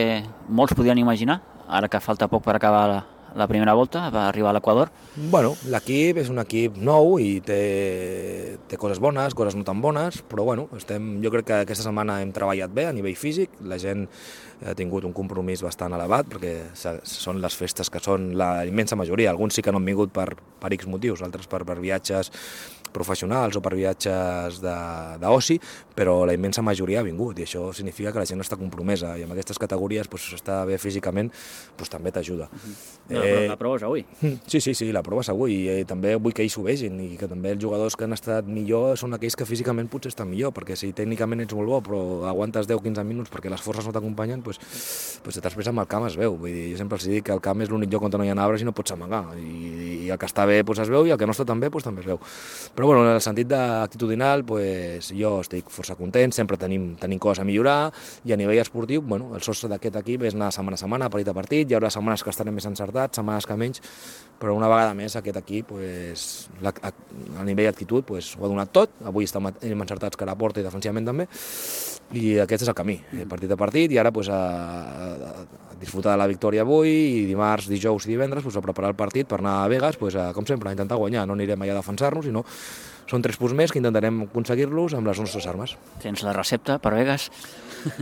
molts podien imaginar, ara que falta poc per acabar la, la primera volta, va arribar a l'Equador. Bueno, l'equip és un equip nou i té, té coses bones, coses no tan bones, però bueno, estem, jo crec que aquesta setmana hem treballat bé a nivell físic, la gent ha tingut un compromís bastant elevat, perquè són les festes que són la immensa majoria, alguns sí que no han vingut per, per X motius, altres per, per viatges professionals o per viatges d'oci, però la immensa majoria ha vingut, i això significa que la gent està compromesa, i amb aquestes categories pues, estar bé físicament pues, també t'ajuda. No, eh... La prova és avui. Sí, sí, sí, la prova és avui, i també vull que ells ho vegin, i que també els jugadors que han estat millor són aquells que físicament potser estan millor, perquè si tècnicament ets molt bo, però aguantes deu a quinze minuts perquè les forces no t'acompanyen, pues, pues després amb el camp es veu. Vull dir, jo sempre els dic que el camp és l'únic lloc on no hi ha arbres i no pots amagar, i, i el que està bé pues, es veu, i el que no està tan bé pues, també es veu. Però bueno, en el sentit d'actitudinal, pues, jo estic força content, sempre tenim, tenim coses a millorar, i a nivell esportiu, bueno, el sostre d'aquest equip és anar setmana a setmana, partit a partit, hi haurà setmanes que estarem més encertats, setmanes que menys, però una vegada més aquest equip, pues, la, a, a nivell d'actitud, pues, ho ha donat tot, avui estem encertats cara a porta i defensivament també, i aquest és el camí, partit a partit, i ara pues, a, a, a disfrutar de la victòria avui, i dimarts, dijous i divendres pues, a preparar el partit per anar a Vegas, pues, a, com sempre, a intentar guanyar, no anirem allà a defensar-nos, sinó són tres punts més que intentarem aconseguir-los amb les nostres armes. Tens la recepta per Vegas?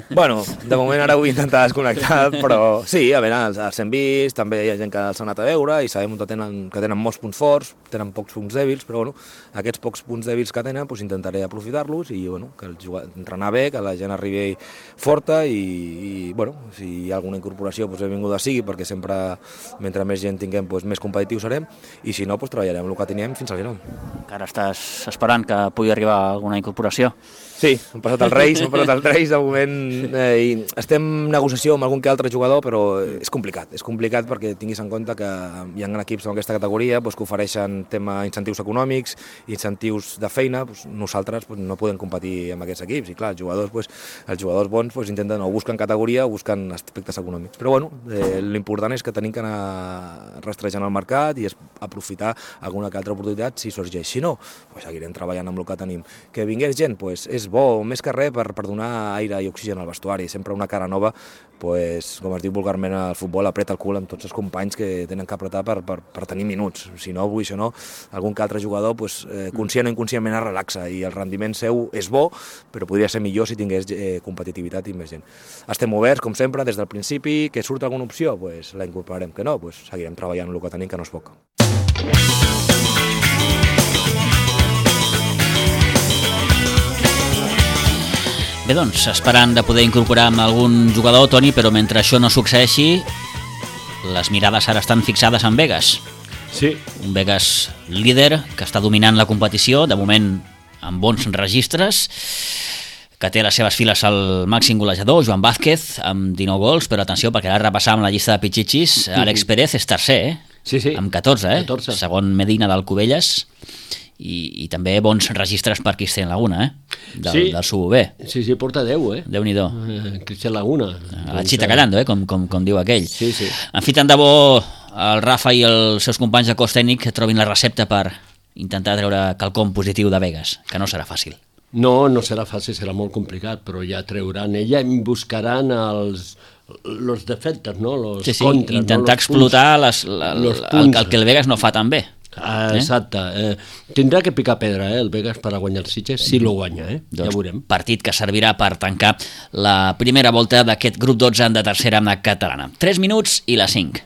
Bueno, de moment ara vull intentar desconnectar, però sí, a veure, els, els hem vist, també hi ha gent que els ha anat a veure i sabem que tenen, que tenen molts punts forts, tenen pocs punts dèbils, però bueno, aquests pocs punts dèbils que tenen doncs, intentaré aprofitar-los i bueno, que el jugar, entrenar bé, que la gent arribi forta i, i bueno, si hi ha alguna incorporació doncs, benvinguda sigui, perquè sempre mentre més gent tinguem doncs, més competitius serem, i si no doncs, treballarem el que tenim fins al final. Encara estàs esperant que pugui arribar alguna incorporació? Sí, hem passat els Reis, hem passat els Reis de moment eh, i estem en negociació amb algun que altre jugador, però és complicat, és complicat perquè tinguis en compte que hi ha equips en aquesta categoria doncs, que ofereixen tema incentius econòmics, incentius de feina, doncs, nosaltres doncs, no podem competir amb aquests equips i clar, els jugadors, doncs, els jugadors bons doncs, intenten o busquen categoria o busquen aspectes econòmics, però bueno, eh, l'important és que tenim que anar rastrejant el mercat i aprofitar alguna que altra oportunitat si sorgeix, si no, doncs, seguirem treballant amb el que tenim. Que vingués gent, doncs, és bo, més que res per, per donar aire i oxigen al vestuari, sempre una cara nova, pues, com es diu vulgarment al futbol, apreta el cul amb tots els companys que tenen que apretar per, per, per tenir minuts, si no, avui, si no, algun que altre jugador, pues, eh, conscient o inconscientment es relaxa i el rendiment seu és bo, però podria ser millor si tingués eh, competitivitat i més gent. Estem oberts, com sempre, des del principi, que surt alguna opció, pues, la incorporarem, que no, pues, seguirem treballant el que tenim, que no és poc. Bé, doncs, esperant de poder incorporar amb algun jugador, Toni, però mentre això no succeeixi, les mirades ara estan fixades en Vegas. Sí. Un Vegas líder que està dominant la competició, de moment amb bons registres, que té a les seves files el màxim golejador, Joan Vázquez, amb dinou gols, però atenció, perquè ara repassàvem la llista de pitxitxis, Àlex Pérez és tercer, eh? Sí, sí. Amb catorze, eh? catorze. Segon Medina d'Alcubelles. I, i també bons registres per Cristian Laguna, eh? Del, sí. del Subo B. Sí, sí, porta deu, eh? Déu-n'hi-do. Eh, Cristian Laguna. A la xita callando, eh? Com, com, com diu aquell. Sí, sí. En fi, tant de bo el Rafa i els seus companys de cos tècnic trobin la recepta per intentar treure quelcom positiu de Vegas, que no serà fàcil. No, no serà fàcil, serà molt complicat, però ja treuran ella i buscaran els los defectes, no? Los sí, sí, contres, intentar no? explotar les, la, los la, el, el que el Vegas no fa tan bé. Ah, exacte. Eh? Tindrà que picar pedra, eh, el Vegas per a guanyar el Sitges, si lo guanya, eh? Doncs, ja veurem. Partit que servirà per tancar la primera volta d'aquest grup dotze de tercera catalana. tres minuts i la cinc.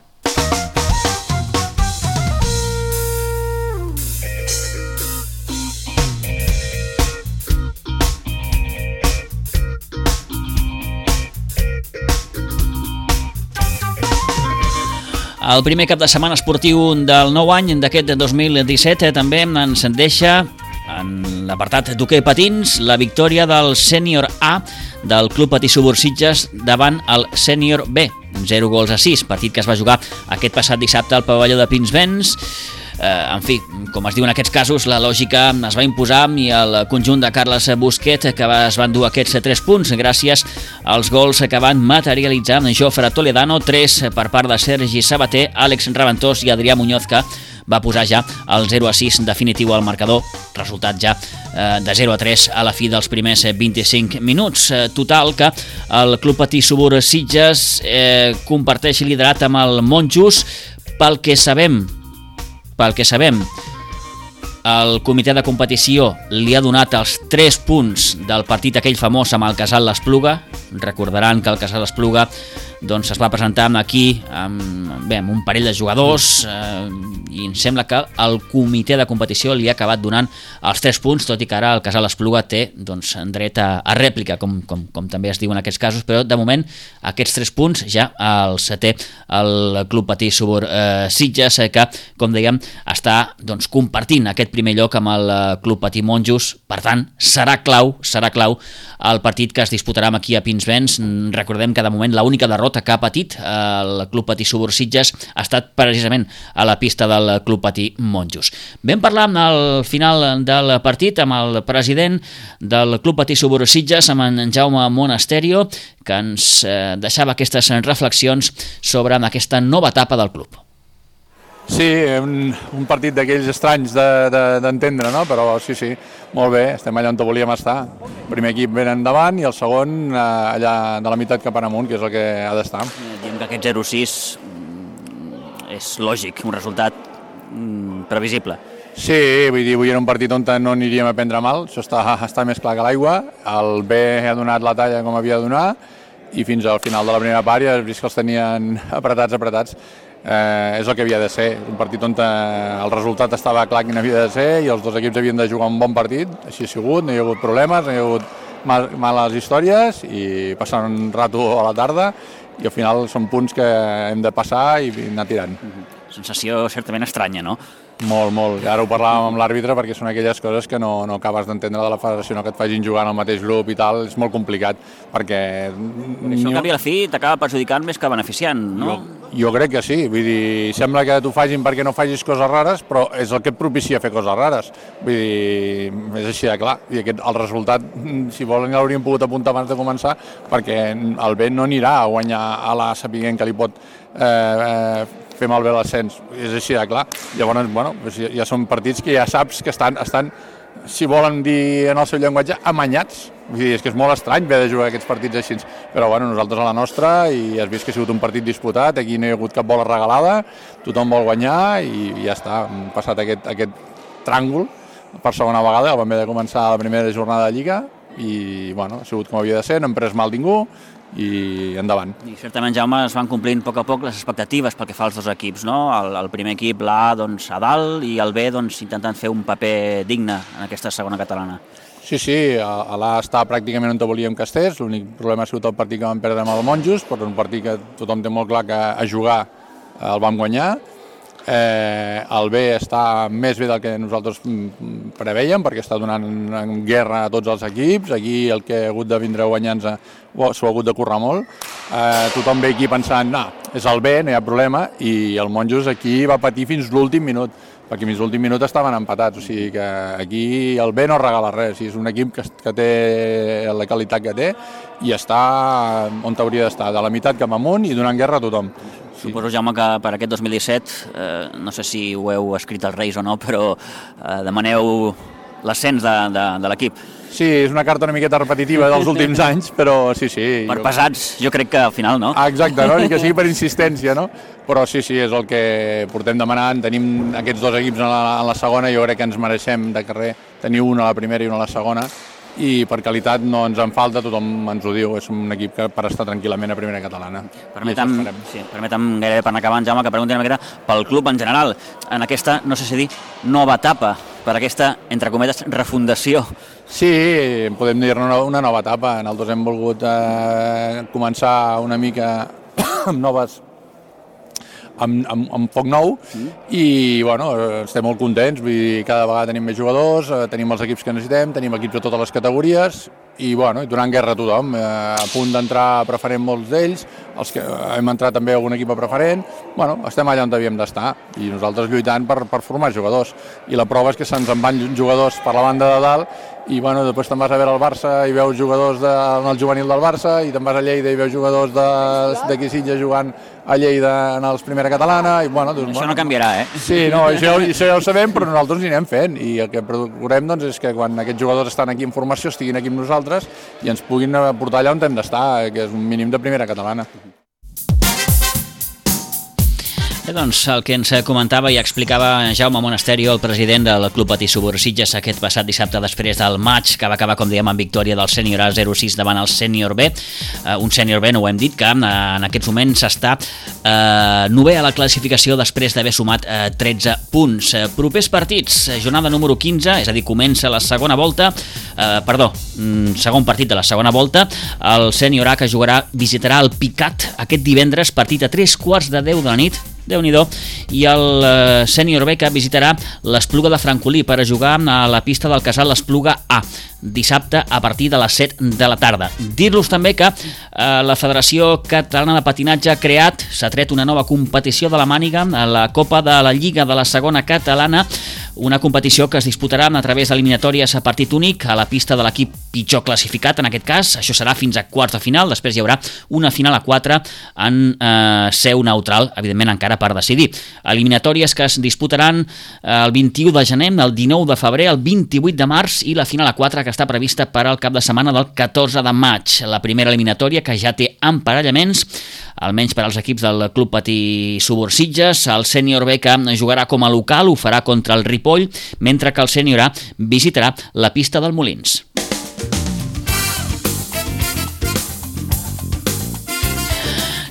El primer cap de setmana esportiu del nou any d'aquest dos mil disset també ens deixa en l'apartat d'hoquei patins la victòria del sènior A del Club Patí Subur Sitges davant el sènior B, zero gols a sis, partit que es va jugar aquest passat dissabte al pavelló de Pinsbens. Eh, en fi, com es diu en aquests casos, la lògica es va imposar i el conjunt de Carles Busquet que va, es van dur aquests tres punts gràcies als gols que van materialitzar Jofre Toledano, tres per part de Sergi Sabater, Àlex Raventós i Adrià Muñoz, que va posar ja el zero a sis definitiu al marcador, resultat ja eh, de zero a tres a la fi dels primers vint-i-cinc minuts. Eh, total que el Club Patí Subur Sitges eh, comparteix liderat amb el Monjos. Pel que sabem, pel que sabem, el comitè de competició li ha donat els tres punts del partit aquell famós amb el Casal l'Espluga. Recordaran que el Casal l'Espluga doncs es va presentar aquí amb, bé, amb un parell de jugadors eh, i em sembla que el comitè de competició li ha acabat donant els tres punts, tot i que ara el Casal Espluga té doncs, dret a, a rèplica, com, com, com també es diu en aquests casos, però de moment aquests tres punts ja els té el Club Patí Subur eh, Sitges, eh, que, com dèiem, està doncs, compartint aquest primer lloc amb el Club Patí Monjos. Per tant, serà clau, serà clau el partit que es disputarà aquí a Pinsbens. Recordem que de moment l'única derrota que ha patit el Club Patí Subur Sitges ha estat precisament a la pista del Club Patí Monjos. Vam parlar al final del partit amb el president del Club Patí Subur Sitges, amb en Jaume Monasterio, que ens eh, deixava aquestes reflexions sobre aquesta nova etapa del club. Sí, un, un partit d'aquells estranys d'entendre, de, de, no? Però sí, sí, molt bé, estem allà on volíem estar. El primer equip ben endavant i el segon eh, allà de la meitat cap en amunt, que és el que ha d'estar. Diem que aquest zero sis és lògic, un resultat mm, previsible. Sí, vull dir, avui era un partit on no aniríem a prendre mal, això està, està més clar que l'aigua. El B ha donat la talla com havia de donar i fins al final de la primera part ja has vist que els tenien apretats, apretats. Eh, és el que havia de ser, un partit on el resultat estava clar quin havia de ser i els dos equips havien de jugar un bon partit, així ha sigut, no hi ha hagut problemes, no hi ha hagut mal, males històries i passar un rato a la tarda i al final són punts que hem de passar i anar tirant. Sensació certament estranya, no? Molt, molt. Ara ho parlàvem amb l'àrbitre perquè són aquelles coses que no, no acabes d'entendre de la federació, no que et facin jugar en el mateix grup i tal, és molt complicat perquè... Això al cap i a la fi t'acaba perjudicant més que beneficiant, no? Jo, jo crec que sí, vull dir, sembla que t'ho facin perquè no facis coses rares, però és el que et propicia fer coses rares. Vull dir, és així de clar. I aquest, el resultat, si volen, ja l'hauríem pogut apuntar abans de començar, perquè el B no anirà a guanyar a l'A sapiguent que li pot eh, eh, fer malbé l'ascens, és així de clar. Llavors, bueno, ja són partits que ja saps que estan, estan, si volen dir en el seu llenguatge, amanyats. Vull dir, és que és molt estrany haver de jugar aquests partits així, però bueno, nosaltres a la nostra, i has vist que ha sigut un partit disputat, aquí no hi ha hagut cap bola regalada, tothom vol guanyar i ja està, hem passat aquest, aquest tràngol per segona vegada, el vam haver de començar la primera jornada de Lliga i bueno, ha sigut com havia de ser, no hem pres mal ningú, i endavant. I certament, Jaume, es van complint a poc a poc les expectatives pel que fa als dos equips, no? El, el primer equip, l'A, doncs, a dalt, i el B, doncs, intentant fer un paper digne en aquesta segona catalana. Sí, sí, l'A està pràcticament on volíem que estés, l'únic problema ha sigut el partit que vam perdre amb el Monjos, però un partit que tothom té molt clar que a jugar el vam guanyar. Eh, el B està més bé del que nosaltres preveiem perquè està donant en guerra a tots els equips. Aquí el que ha hagut de vindre guanyant s'ho ha hagut de currar molt. Eh, tothom ve aquí pensant, no, és el B, no hi ha problema, i el Monjos aquí va patir fins l'últim minut, perquè fins l'últim minut estaven empatats, o sigui que aquí el B no regala res, és un equip que, que té la qualitat que té i està on hauria d'estar, de la meitat cap amunt i donant guerra a tothom. Sí. Suposo, Jaume, que per aquest dos mil disset, eh, no sé si ho heu escrit als Reis o no, però eh, demaneu l'ascens de, de, de l'equip. Sí, és una carta una miqueta repetitiva dels últims anys, però sí, sí. Per jo... pesats, jo crec que al final, no? Ah, exacte, no? Ni que sigui per insistència, no? Però sí, sí, és el que portem demanant. Tenim aquests dos equips en la, en la segona, jo crec que ens mereixem de carrer tenir un a la primera i un a la segona, i per qualitat no ens en falta, tothom ens ho diu, és un equip que per estar tranquil·lament a primera catalana. Permetem, sí, permetem gairebé per anar acabant, Jaume, que pregunti una miqueta pel club en general, en aquesta, no sé si dir, nova etapa, per aquesta, entre cometes, refundació. Sí, podem dir-ne una, una nova etapa. Nosaltres hem volgut eh, començar una mica amb noves amb, amb, amb foc nou i bueno, estem molt contents, vull dir, cada vegada tenim més jugadors, eh, tenim els equips que necessitem, tenim equips de totes les categories i bueno, donant guerra a tothom, eh, a punt d'entrar a preferent molts d'ells, els que hem entrat també a algun equip a preferent, bueno, estem allà on havíem d'estar i nosaltres lluitant per, per formar jugadors i la prova és que se'ns en van jugadors per la banda de dalt i bueno, després te'n vas a veure el Barça i veus jugadors de, en el juvenil del Barça i te'n vas a Lleida i veus jugadors d'aquí Sitges jugant a Lleida en els primera catalana i bueno... Doncs, això bueno, no canviarà, eh? Sí, no, això, això ja ho sabem, però nosaltres hi anem fent i el que procurem doncs, és que quan aquests jugadors estan aquí en formació estiguin aquí amb nosaltres i ens puguin portar allà on hem d'estar, que és un mínim de primera catalana. Bé, doncs el que ens comentava i explicava Jaume Monasterio, el president del Club Patí Subursitges, aquest passat dissabte després del maig que va acabar, com dèiem, amb victòria del sènior A zero sis davant el sènior B, uh, un sènior B, no ho hem dit, que uh, en aquests moments està uh, novè a la classificació després d'haver sumat uh, tretze punts. Uh, propers partits, jornada número quinze, és a dir, comença la segona volta, uh, perdó, mm, segon partit de la segona volta, el sènior A que jugarà, visitarà el Picat aquest divendres, partit a tres quarts de deu de la nit, Déu-n'hi-do, i el uh, sènior B que visitarà l'Espluga de Francolí per a jugar a la pista del casal l'Espluga A, dissabte a partir de les set de la tarda. Dir-los també que eh, la Federació Catalana de Patinatge ha creat, s'ha tret una nova competició de la màniga, a la Copa de la Lliga de la Segona Catalana, una competició que es disputarà a través d'eliminatòries a partit únic a la pista de l'equip pitjor classificat, en aquest cas. Això serà fins a quarts de final, després hi haurà una final a quatre en eh, seu neutral, evidentment encara per decidir. Eliminatòries que es disputaran el vint-i-u de gener, el dinou de febrer, el vint-i-vuit de març i la final a quatre que està prevista per al cap de setmana del catorze de maig. La primera eliminatòria que ja té emparellaments, almenys per als equips del Club Patí Subursitges. El sènior B que jugarà com a local ho farà contra el Ripoll, mentre que el sènior A visitarà la pista del Molins.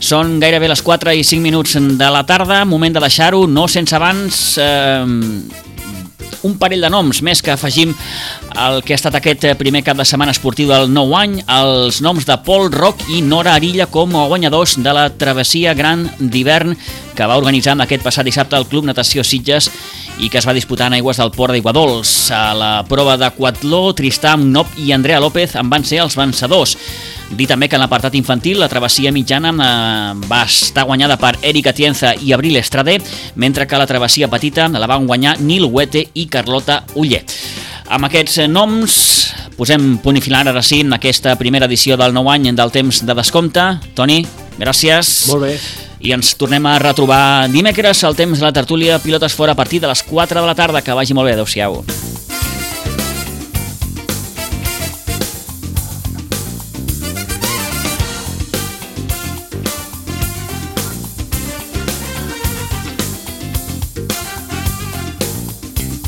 Són gairebé les quatre i cinc minuts de la tarda, moment de deixar-ho, no sense abans eh, un parell de noms més que afegim al que ha estat aquest primer cap de setmana esportiu del nou any, els noms de Pol Roc i Nora Arilla com a guanyadors de la travessia gran d'hivern que va organitzar aquest passat dissabte el Club Natació Sitges i que es va disputar en aigües del Port d'Aiguadols. A la prova d'aquatló, Tristán Nop i Andrea López en van ser els vencedors. Dir també que en l'apartat infantil la travessia mitjana eh, va estar guanyada per Erika Tienza i Abril Estrade, mentre que la travessia petita la van guanyar Nil Huete i Carlota Uller. Amb aquests noms posem punt i final ara sí en aquesta primera edició del nou any del temps de descompte. Toni, gràcies. Molt bé. I ens tornem a retrobar dimecres al temps de la tertúlia Pilotes Fora a partir de les quatre de la tarda. Que vagi molt bé, adeu-siau.